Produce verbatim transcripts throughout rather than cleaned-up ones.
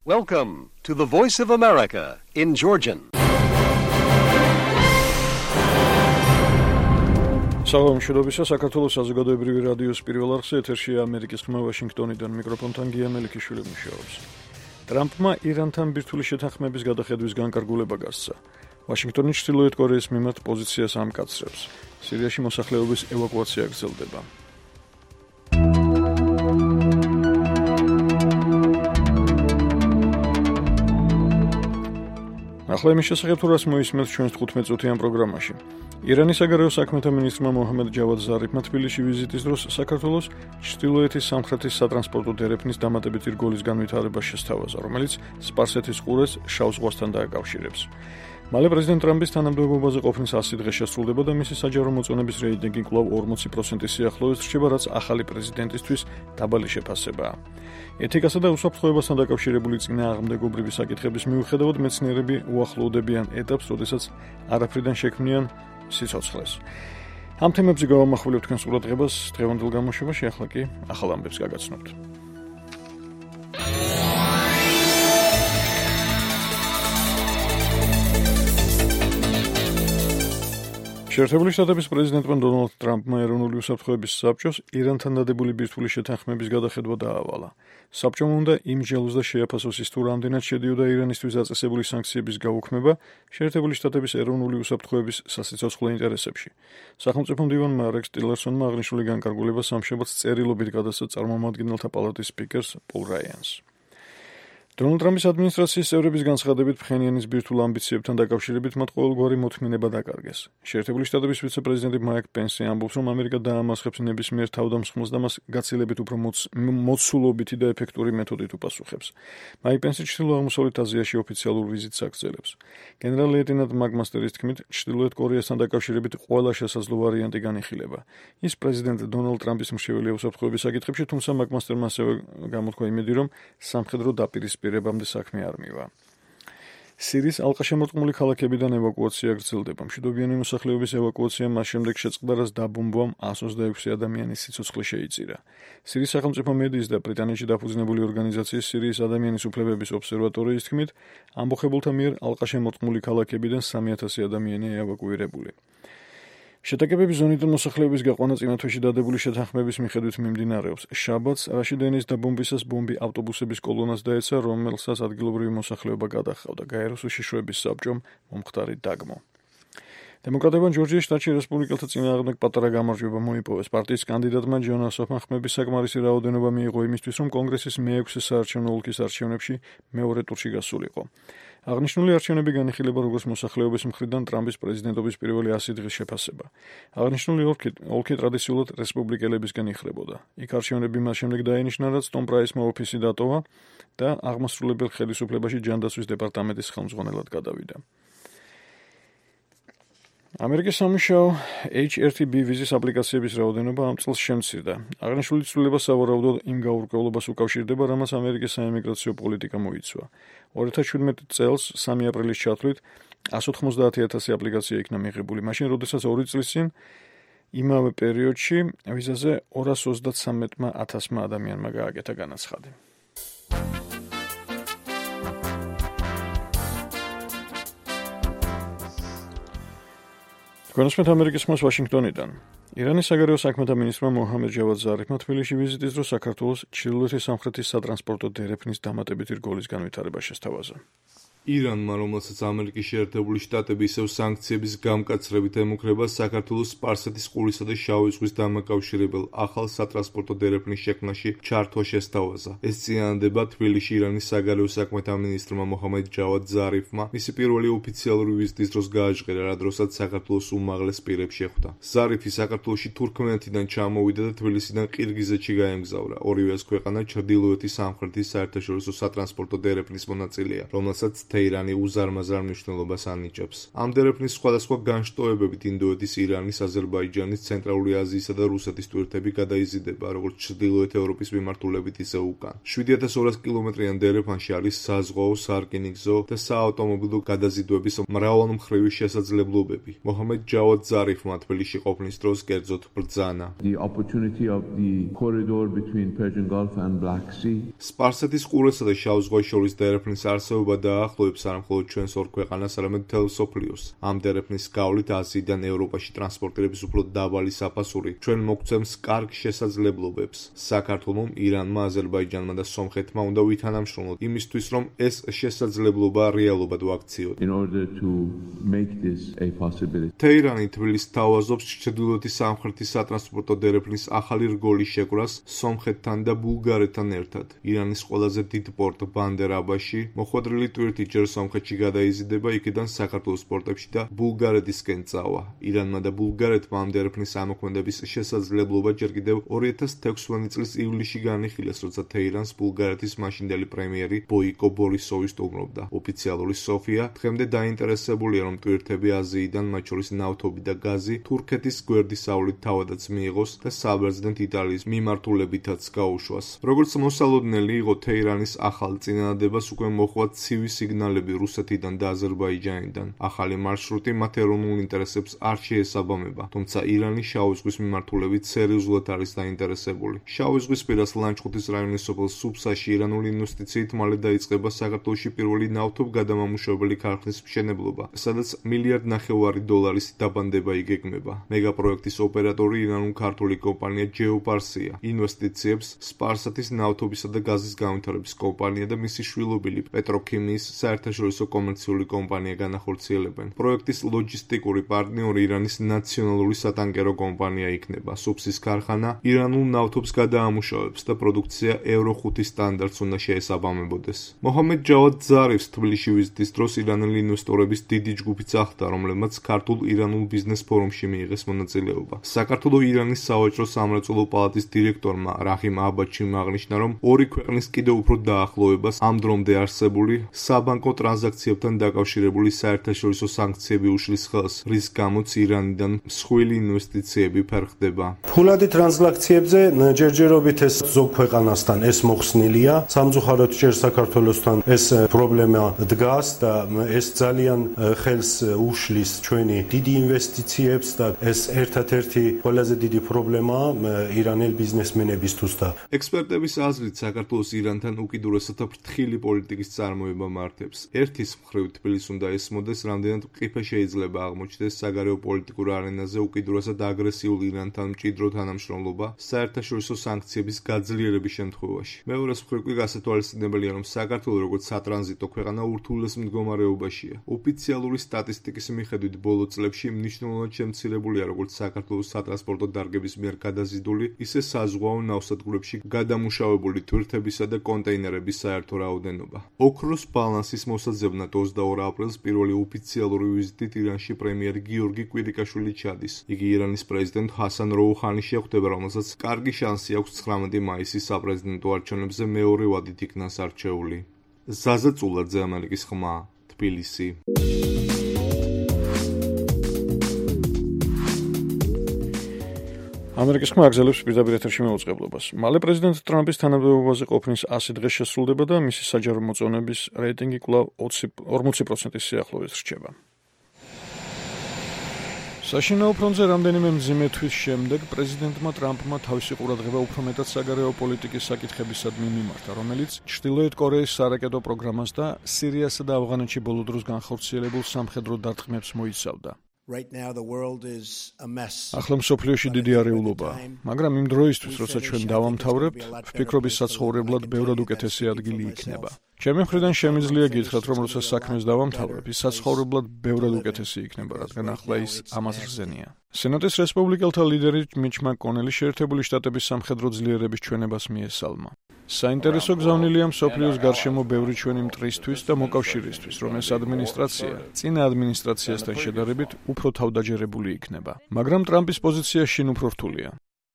Welcome to the Voice of America in Georgian. Საღამოშობისა საქართველოს საზოგადოებრივი რადიოს პირველ არხზე ეთერშია ამერიკის ხმა ვაშინგტონიდან მიკროფონთან გია მელიქიშვილი მუშაობს. ტრამპმა ირანთან ბირთვული შეთანხმების გადახედვის განკარგულება გასცა. ვაშინგტონი ჩრდილოეთ კორეის მიმართ პოზიციას ამკაცრებს. სირიაში მოსახლეობის ევაკუაცია გრძელდება. ახლა იმის შესახებ თუ რას მოისმენთ ჩვენს თხუთმეტ წუთიან პროგრამაში. ირანის საგარეო საქმეთა მინისტრმა მოჰამედ ჯავად ზარიფმა თბილისში ვიზიტის დროს საქართველოს ჩრდილოეთის სამხრეთის სატრანსპორტო დერეფნის დამატებითი რგოლის განვითარება შესთავაზა, რომელიც სპარსეთის ყურეს შავ ზღვასთან დააკავშირებს. მალე პრეზიდენტ ტრამპის თანამდებობაზე ყოფნის ასი დღე შესრულდება და მისი საჯარო მოწონების რეიტინგი კვლავ ორმოცი პროცენტის სიახლოვეს რჩება, რაც ახალი პრეზიდენტისთვის დაბალი შეფასებაა. ეთიკასა და უსაფრთხოებასთან დაკავშირებული წინააღმდეგობრივი საკითხების მიუხედავად მეცნიერები უახლოვდებიან ეტაპს, როდესაც არაფრიდან შექმნიან სიცოცხლეს. ამ თემებზე გავამახვილებ თქვენს ყურადღებას დღევანდელ გამოშვებაში, ახლა კი ახალ ამბებს გაგაცნობთ. შეერთებული შტატების პრეზიდენტმა დონალდ ტრამპმა ეროვნული უსაფრთხოების საბჭოს ირანთან დადებული ბირთვული შეთანხმების გადახედვა დაავალა. საბჭომ უნდა იმსჯელოს და შეაფასოს ის თუ რამდენად შედიოდა ირანისთვის დაწესებული სანქციების გაუქმება შეერთებული შტატების ეროვნული უსაფრთხოების სასიცოცხლო ინტერესებში. სახელმწიფო მდივანმა რექს ტილერსონმა აღნიშნული განკარგულება სამშაბათს წერილობით გადასცა წარმომადგენელთა პალატის სპიკერს პოლ რაიანს. დონალდ ტრამპის ადმინისტრაციის წევრების განცხადებით ფხენიანის ბირთვულ ამბიციებთან დაკავშირებით მათ ყოველგვარი მოთმინება დაკარგეს. შეერთებული შტატების ვიცე-პრეზიდენტი მაიკ პენსი ამბობს, რომ ამერიკა დაამასხებს ნებისმიერ თავდამსხმელს და მას გაცილებით უფრო მოცულობითი და ეფექტური მეთოდით უპასუხებს. მაიკ პენსი ჩრდილო-აღმოსავლეთ აზიაში ოფიციალურ ვიზიტს აგრძელებს. გენერალ-ლეიტენანტ მაგმასტერის თქმით, ჩრდილოეთ კორეასთან დაკავშირებით ყველა შესაძლო ვარიანტი განიხილება. ის პრეზიდენტ დონალდ ტრამპის მრჩეველია უსაფრთხოების საკითხებში, თუმცა მაგმასტერმა ასევე გამოთქვა იმედი, რომ სამხედრო დაპირისპირება პირებამდე საქმე არ მივა. სირიის ალყაშემორტყმული ქალაქებიდან ევაკუაცია გრძელდება. მშვიდობიანი მოსახლეობის ევაკუაცია მას შემდეგ შეწყდა, რაც დაბომბვამ ას ოცდაექვსი ადამიანის სიცოცხლე შეიწირა. სირიის სახელმწიფო მედიის და ბრიტანეთში დაფუძნებული ორგანიზაციის სირიის ადამიანის უფლებების ობსერვატორიის თქმით, ამბოხებულთა მიერ ალყაშემორტყმული ქალაქებიდან სამი ათასი ადამიანია ევაკუირებული. შეტაკებების ზონიდან მოსახლეობის გაყვანა წინა თვეში დადებული შეთანხმების მიხედვით მიმდინარეობს. შაბათს რაშიდენის დაბომბვისას ბომბი ავტობუსების კოლონას დაეცა, რომელსაც ადგილობრივი მოსახლეობა გადაჰყავდა. გაეროს უშიშროების საბჭომ მომხდარი დაგმო. დემოკრატებმა ჯორჯიის შტატში რესპუბლიკელთა წინააღმდეგ პატარა გამარჯვება მოიპოვეს. პარტიის კანდიდატმა ჯონ ასოფმა ხმების საკმარისი რაოდენობა მიიღო იმისთვის, რომ კონგრესის მეექვსე საარჩევნო ოლქის არჩევნებში მეორე ტურში გასულიყო. აღნიშნული არჩევნები განიხილება როგორც მოსახლეობის მხრიდან ტრამპის პრეზიდენტობის პირველი ასი დღის შეფასება. აღნიშნული ოლქი, ოლქი ტრადიციულად რესპუბლიკელებისგან იხრებოდა. იქ არჩევნები მას შემდეგ დაენიშნა, რაც ტომ პრაისმა ოფისი დატოვა და აღმასრულებელ ხელისუფლებაში ჯანდაცვის დეპარტამენტის ხელმძღვანელად გადავიდა. ამერიკის სამუშაო ეიჩ ერთ ბი ვიზის აპლიკაციების რაოდენობა ამ წელს შემცირდა. აღნიშნული ცვლილება სავარაუდოდ იმ გაურკვევლობას უკავშირდება, რამაც ამერიკის საიმიგრაციო პოლიტიკა მოიცვა. ორი ათას შვიდმეტი წელს სამი აპრილის ჩათვლით ას ოთხმოცდაათი ათასი აპლიკაცია იქნა მიღებული, მაშინ როდესაც ორი წლის წინ იმავე პერიოდში ვიზაზე ორას ოცდათსამეტმა ათასმა ადამიანმა გააკეთა განაცხადი. გონსმეთ ამერიკის ხმას ვაშინგტონიდან. ირანის საგარეო საქმეთა მინისტრმა მოჰამედ ჯავად ზარიფმა თბილისში ვიზიტის დროს საქართველოს ჩრდილოეთის სამხრეთის სატრანსპორტო დერეფნის დამატებითი რგოლის განვითარება შესთავაზა. ირანმა, რომელსაც ამერიკის შეერთებული შტატები ისევ სანქციების გამკაცრებით ემუქრება საქართველოს სპარსეთის ყურისა და შავი ზღვის დამაკავშირებელ ახალ სატრანსპორტო დერეფნის შექმნაში ჩართვა შესთავაზა. ეს წინადადება თბილისში ირანის საგარეო საქმეთა მინისტრმა მოჰამედ ჯავად ზარიფმა მისი პირველი ოფიციალური ვიზიტის დროს გააჟღერა, რა დროსაც საქართველოს უმაღლეს პირებს შეხვდა. ზარიფი საქართველოში თურქმენეთიდან ჩამოვიდა და თბილისიდან ყირგიზეთში გაემგზავრა. ორივე ეს ქვეყანა ჩრდილოეთის სამხრეთის საერთაშორისო სატრანსპორტო დერეფნის მონაწილეა, რომელსაც თეირანი უზარმაზარ მნიშვნელობას ანიჭებს. ამ დერეფნის სხვადასხვა განშტოებებით ინდოეთის, ირანის, აზერბაიჯანის, ცენტრალური აზიისა და რუსეთის ტვირთები გადაიზიდება როგორც ჩრდილოეთ ევროპის მიმართულებით, ისე უკან. შვიდი ათას ორასი კილომეტრიან დერეფანში არის საზღვაო, სარკინიგზო და საავტომობილო გადაზიდვების მრავალმხრივი შესაძლებლობები. მოჰამედ ჯავად ზარიფმა თბილისში ყოფნის დროს კერძოდ ბრძანა. The opportunity of the corridor between Persian Gulf and Black Sea. სპარსეთის ყურესა და შავ ზღვას შორის დერეფნის არსებობა დაახლოებს არა მხოლოდ ჩვენს ორ ქვეყანას, არამედ მთელ მსოფლიოს. ამ დერეფნის გავლით აზიიდან ევროპაში ტრანსპორტირების უფრო დაბალი საფასური ჩვენ მოგცემს კარგ შესაძლებლობებს. საქართველომ, ირანმა, აზერბაიჯანმა და სომხეთმა უნდა ვითანამშრომლოთ იმისთვის, რომ ეს შესაძლებლობა რეალობად ვაქციოთ. In order to make this a possibility. თეირანი თბილისს თავაზობს ჩრდილოეთის სამხრეთის სატრანსპორტო დერეფნის ახალი რგოლის შეკვრას სომხეთთან და ბულგარეთთან ერთად. ირანის ყველაზე დიდ პორტ ბანდერ-აბაში მოხვედრილი ტვირთი ჯერ სომხეთში გადაიზიდება, იქიდან საქართველოს პორტებში და ბულგარეთისკენ წავა. ირანმა და ბულგარეთმა ამ დერეფნის ამოქმედების შესაძლებლობა ჯერ კიდევ ორი ათას თექვსმეტი წლის ივლისში განიხილეს, როცა თეირანს ბულგარეთის მაშინდელი პრემიერი ბოიკო ბორისოვი სტუმრობდა. ოფიციალური სოფია დღემდე დაინტერესებულია, რომ ტვირთები აზიიდან, მათ შორის ნავთობი და გაზი, თურქეთის გვერდისავლით თავადაც მიიღოს და საბერძნეთ იტალიის მიმართულებითაც გაუშვას. როგორც მოსალოდნელი იყო თეირანის ახალ წინადადებას უკვე მოჰყვა ცივი სიგნალები რუსეთიდან და აზერბაიჯანიდან. ახალი მარშრუტი მათ ეროვნულ ინტერესებს არ შეესაბამება, თუმცა ირანი შავი ზღვის მიმართულებით სერიოზულად არის დაინტერესებული. შავი ზღვის პირას ლანჩხუთის რაიონის სოფელ სუფსაში ირანული ინვესტიციით მალე დაიწყება საქართველოში პირველი ნავთობგადამამუშავებელი ქარხნის მშენებლობა, სადაც მილიარდ ნახევარი დოლარის დაბანდება იგეგმება. მეგაპროექტის ოპერატორი ირანულ-ქართული კომპანია ჯეოპარსია. ინვესტიციებს სპარსეთის ნავთობისა და გაზის განვითარების კომპანია და მისი შვილობილი პეტროქიმიის საერთაშორისო კომერციული კომპანია განახორციელებენ. პროექტის ლოჯისტიკური პარტნიორი ირანის ნაციონალური სატანკერო კომპანია იქნება. სუფსის ქარხანა ირანულ ნავთობს გადაამუშავებს და პროდუქცია ევრო ხუთი სტანდარტს უნდა შეესაბამებოდეს. მოჰამედ ჯავად ზარიფს თბილისში ვიზიტის დროს ირანელი ინვესტორების დიდი ჯგუფი წახდა, რომლებმაც ქართულ-ირანულ ბიზნეს ფორუმში მიიღეს მონაწილეობა. საქართველო-ირანის სავაჭრო სამრეწველო პალატის დირექტორმა რაჰიმ აბაჩიმ აღნიშნა, რომ ორი ქვეყნის კიდევ უფრო დაახლოებას ამ დრომდე არსებული საბანკო ტრანზაქციებთან დაკავშირებული საერთაშორისო სანქციები უშლის ხელს, რის გამოც ირანიდან მსხვილი ინვესტიციები ფერხდება. ფულადი ტრანზაქციებზე ჯერჯერობით ეს ზოგ ქვეყანასთან ეს მოხსნილია. სამწუხაროდ ჯერ საქართველოსთან ეს პრობლემა დგას და ეს ძალიან ხელს უშლის ჩვენი დიდი ინვესტიციებს და ეს ერთადერთი ყველაზე დიდი პრობლემაა ირანელ ბიზნესმენებისთვის და ექსპერტების აზრით საქართველოს ირანთან უკიდურესად ფრთხილი პოლიტიკის წარმოება მართებს. ერთის მხრივ თბილისს უნდა ესმოდეს, რამდენად მყიფე შეიძლება აღმოჩნდეს საგარეო პოლიტიკურ არენაზე უკიდურესად აგრესიულ ირანთან მჭიდრო თანამშრომლობა საერთაშორისო სანქციების გაძლიერების შემთხვევაში. მეორეს მხრივ კი გასათვალისწინებელია, რომ საქართველო როგორც სატრანზიტო ქვეყანა ურთულეს მდგომარეობაშია. ოფიციალური სტატისტიკის მიხედვით ბოლო წლებში მნიშვნელოვნად შემცირებულია როგორც საქართველოს სატრანსპორტო დარგების მიერ გადაზიდული, ისე საზღვაო ნავსადგურებში გადამუშავებული თვირთებისა და კონტეინერების საერთო რაოდენობა. ოქროს ბალანსის მოსაძებნად ოცდაორ აპრილს პირველი ოფიციალური ვიზიტით ირანში პრემიერი გიორგი კვირიკაშვილი ჩადის. იგი ირანის პრეზიდენტ ჰასან როუჰანის შეხვდება, რომელსაც კარგი შანსი აქვს ცხრამეტი მაისის საპრეზიდენტო არჩევნებზე მეორე ვადით იქნას არჩეული. ზაზა წულაძე, ამერიკის ხმა, თბილისი. ამერიკის ხმა აგზელებს პირდაპირ ეთერში მეუწყებლობას. მალე პრეზიდენტ ტრამპის თანამდებობაზე ყოფნის ასი დღე შესრულდება და მისი საჯარო მოწონების რეიტინგი კვლავ ორმოცი პროცენტის სიახლოვეს რჩება. საშინაო ფრონტზე რამდენიმე მძიმე თვის შემდეგ პრეზიდენტმა ტრამპმა თავისი ყურადღება უფრო მეტად საგარეო პოლიტიკის საკითხებისადმი მიმართა, რომელიც ჩრდილოეთ კორეის სარაკეტო პროგრამას და სირიასა და ავღანეთში ბოლო დროს განხორციელებულ სამხედრო დარტყმებს მოიცავდა. ახლა მსოფლიოში დიდი არეულობაა, მაგრამ იმ დროისთვის, როცა ჩვენ დავამთავრებთ, ვფიქრობის საცხოვრებლად ბევრად უკეთესი ადგილი იქნება. ჩემი მხრიდან შემიძლია გითხრათ, რომ როცა საქმეს დავამთავრებ, ის საცხოვრებლად ბევრად უკეთესი იქნება, რადგან ახლა ის ამას რზენია. სენატის რესპუბლიკელთა ლიდერი მიჩ მაკონელი შეერთებული შტატების სამხედრო ძლიერების ჩვენებას მიესალმა. საინტერესო გზავნილია მსოფლიოს გარშემო ბევრი ჩვენი მტრისთვის და მოკავშირისთვის, რომ ეს ადმინისტრაცია წინა ადმინისტრაციასთან შედარებით უფრო თავდაჯერებული იქნება. მაგრამ ტრამპის პოზიცია შინ უფრო რთულია.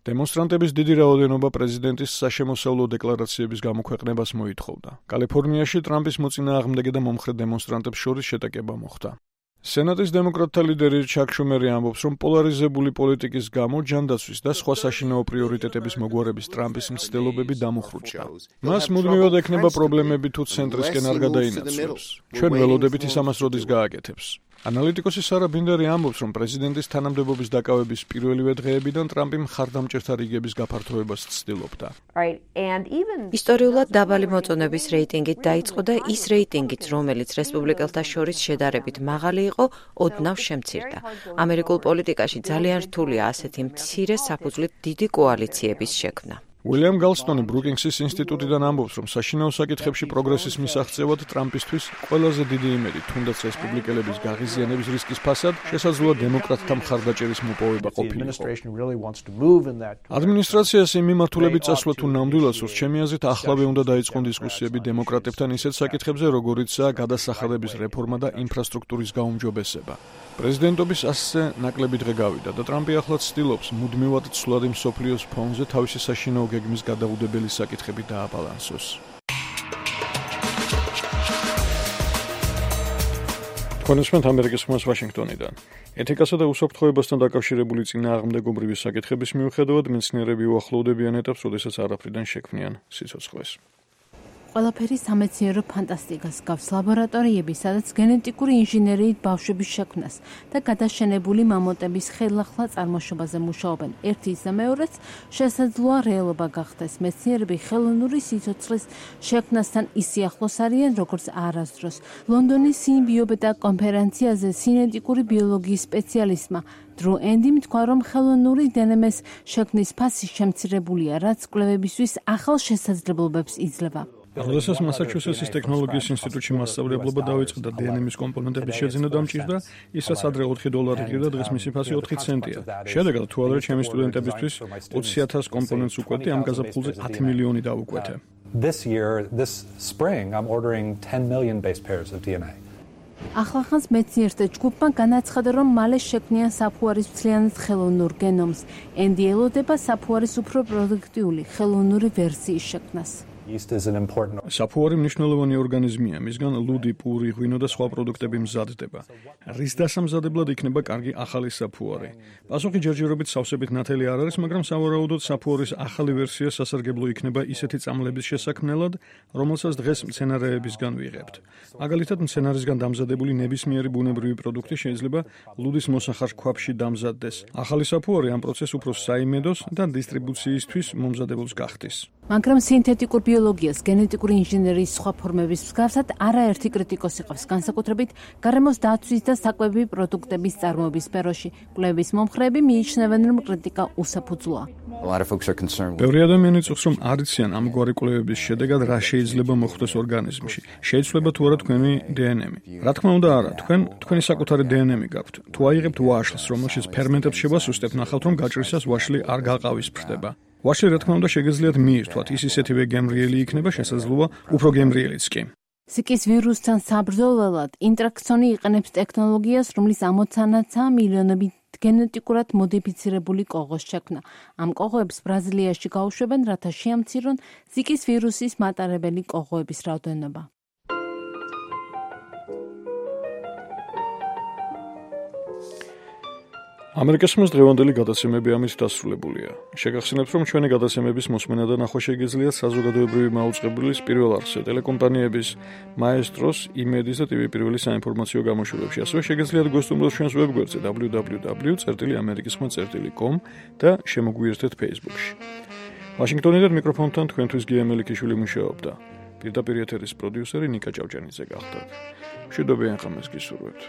დემონსტრანტების დიდი რაოდენობა პრეზიდენტის საშემოსავლო დეკლარაციების გამოქვეყნებას მოითხოვდა. კალიფორნიაში ტრამპის მოწინააღმდეგე და მომხრე დემონსტრანტებს შორის შეტაკება მოხდა. სენატის დემოკრატთა ლიდერი ჩაკ შუმერი ამბობს, რომ პოლარიზებული პოლიტიკის გამო ჯანდაცვის და სხვა საშინაო პრიორიტეტების მოგვარების ტრამპის მცდელობები დამუხრუჭა. მას მუდმივად ექნება პრობლემები თუ ცენტრისკენ არ გადაინაცვლებს. ჩვენ ველოდებით ის ამას როდის გააკეთებს. ანალიტიკოსი სარა ბინდერი ამბობს, რომ პრეზიდენტის თანამდებობის დაკავების პირველივე დღეებიდან ტრამპი მხარდამჭერთა რიგების გაფართოებას ცდილობდა. ისტორიულად დაბალი მოწონების რეიტინგით დაიწყო და ის რეიტინგიც, რომელიც რესპუბლიკელთა შორის შედარებით მაღალი იყო, ოდნავ შემცირდა. ამერიკულ პოლიტიკაში ძალიან რთულია ასეთი მცირე საფუძვლით დიდი კოალიციების შექმნა. უილიამ გალსტონი ბრუკინგსის ინსტიტუტიდან ამბობს, რომ საშინაო საკითხებში პროგრესის მისაღწევად ტრამპისთვის ყველაზე დიდი იმედი, თუნდაც რესპუბლიკელების გაღიზიანების რისკის ფასად, შესაძლოა დემოკრატთა მხარდაჭერის მოპოვება ყოფილიყო. ადმინისტრაციას იმ მიმართულებით წასვლა თუ ნამდვილად სურს, ჩემი აზრით, ახლავე უნდა დაიწყონ დისკუსიები დემოკრატებთან ისეთ საკითხებზე, როგორიცაა გადასახადების რეფორმა და ინფრასტრუქტურის გაუმჯობესება. პრეზიდენტობის ასზე ნაკლები დღე გავიდა და ტრამპი ახლაც ცდილობს მუდმივად ცვლადი მსოფლიოს ფონზე თავისი საშინაო გეგმის გადაუდებელი საკითხები დააბალანსოს. თქვენ უსმენთ ამერიკის ხმას ვაშინგტონიდან. ეთიკასა და უსაფრთხოებასთან დაკავშირებული წინააღმდეგობრივი საკითხების მიუხედავად მეცნიერები უახლოვდებიან ეტაპს, როდესაც არაფრიდან შექმნიან სიცოცხლეს. ყველაფერი სამეცნიერო ფანტასტიკას გავს ლაბორატორიები, სადაც გენეტიკური ინჟინერიით ბავშვების შექმნას და გადაშენებული მამონტების ხელახლა წარმოშობაზე მუშაობენ. ერთი ისე მეორეც შესაძლოა რეალობა გახდეს. მეცნიერები ხელოვნური სიცოცხლის შექმნასთან ისე ახლოს არიან, როგორც არასდროს. ლონდონის სიმბიობედა კონფერენციაზე სინეტიკური ბიოლოგიის სპეციალისტმა დრუ ენდიმ თქვა, რომ ხელოვნური დნმ-ის შექმნის ფასი შემცირებულია, რაც კვლევებისთვის ახალ შესაძლებლობებს იძლევა. როდესაც მასაჩუსეტსის ტექნოლოგიის ინსტიტუტში მასწავლებლობა დაიწყო და დნმ-ის კომპონენტების შეძენა დამჭირდა, ის რაც ადრე ოთხი დოლარი ღირდა, დღეს მისი ფასი ოთხი ცენტია. შედეგად თუ ადრე ჩემი სტუდენტებისთვის ოცი ათას კომპონენტს უკვეთი, ამ გაზაფხულზე ათი მილიონი დავუკვეთე. This year, this spring, I'm ordering ten million base pairs of D N A. ახლახანს მეცნიერთა ჯგუფმა განაცხადა, რომ მალე შექმნიან საფუარის მთლიანად ხელოვნურ გენომს. ენდი ელოდება საფუარის უფრო პროდუქტიული ხელოვნური ვერსიის შექმნას. საფუარი მნიშვნელოვანი ორგანიზმია, მისგან ლუდი, პური, ღვინო და სხვა პროდუქტები მზადდება. რის დასამზადებლად იქნება კარგი ახალი საფუარი? პასუხი ჯერჯერობით სავსებით ნათელი არ არის, მაგრამ სავარაუდოდ საფუარის ახალი ვერსია სასარგებლო იქნება ისეთი წამლების შესაქმნელად, რომელსაც დღეს მცენარეებისგან ვიღებთ. მაგალითად, მცენარისგან დამზადებული ნებისმიერი ბუნებრივი პროდუქტი შეიძლება ლუდის მოსახარ ქვაბში დამზადდეს. ახალი საფუარი ამ პროცესს უფრო საიმედოს და დისტრიბუციისთვის მომზადებელს გახდის. მაგრამ სინთეტიკურ ბიოლოგიას, გენეტიკური ინჟინერიის სხვა ფორმების მსგავსად არაერთი კრიტიკოსი ყავს, განსაკუთრებით გარემოს დაცვის და საკვები პროდუქტების წარმოების სფეროში. კვლევის მომხრეები მიიჩნევენ, რომ კრიტიკა უსაფუძვლოა. ბევრი ადამიანი წუხს, რომ არ იციან ამგვარი კვლევების შედეგად რა შეიძლება მოხდეს ორგანიზმში. შეიცვლება თუ არა თქვენი დნმ. რა თქმა უნდა არა, თქვენ თქვენი საკუთარი დნმ გაქვთ. თუ აიღებთ ვაშლს, რომელშიც ფერმენტებს შევასუსტებთ, ნახავთ, რომ გაჭრისას ვაშლი არ გაყავისფრდება. ვაშლი რა თქმა უნდა შეგეძლიათ მიირთვათ, ის ისეთივე გემრიელი იქნება, შესაძლოა უფრო გემრიელიც კი. სიკის ვირუსთან საბრძოლველად ინტრაქსონი იყენებს ტექნოლოგიას, რომლის ამოცანაცაა მილიონობით გენეტიკურად მოდიფიცირებული კოღოს შექმნა. ამ კოღოებს ბრაზილიაში გაუშვებენ, რათა შეამცირონ სიკის ვირუსის მატარებელი კოღოების რაოდენობა. ამერიკის ხმის დღევანდელი გადაცემები ამით დასრულებულია. შეგახსენებთ, რომ ჩვენი გადაცემების მოსმენა და ნახვა შეგიძლიათ საზოგადოებრივი მაუწყებლის პირველ არხზე, ტელეკომპანიების მაესტროს, იმედის და ტივი პირველი საინფორმაციო გამოშვებებში. ასევე შეგიძლიათ გვესტუმროთ ჩვენს ვებგვერდზე დაბლიუ დაბლიუ დაბლიუ წერტილი ამერიკის ხმა წერტილი კომ და შემოგვიერთეთ Facebook-ში. ვაშინგტონიდან მიკროფონთან თქვენთვის გია მელიქიშვილი მუშაობდა. პირდაპირ ეთერის პროდიუსერი ნიკა ჭავჭანიძე გახდათ. მშვიდობიან ხამას გისურვებთ.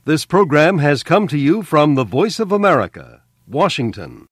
This program has come to you from the Voice of America, Washington.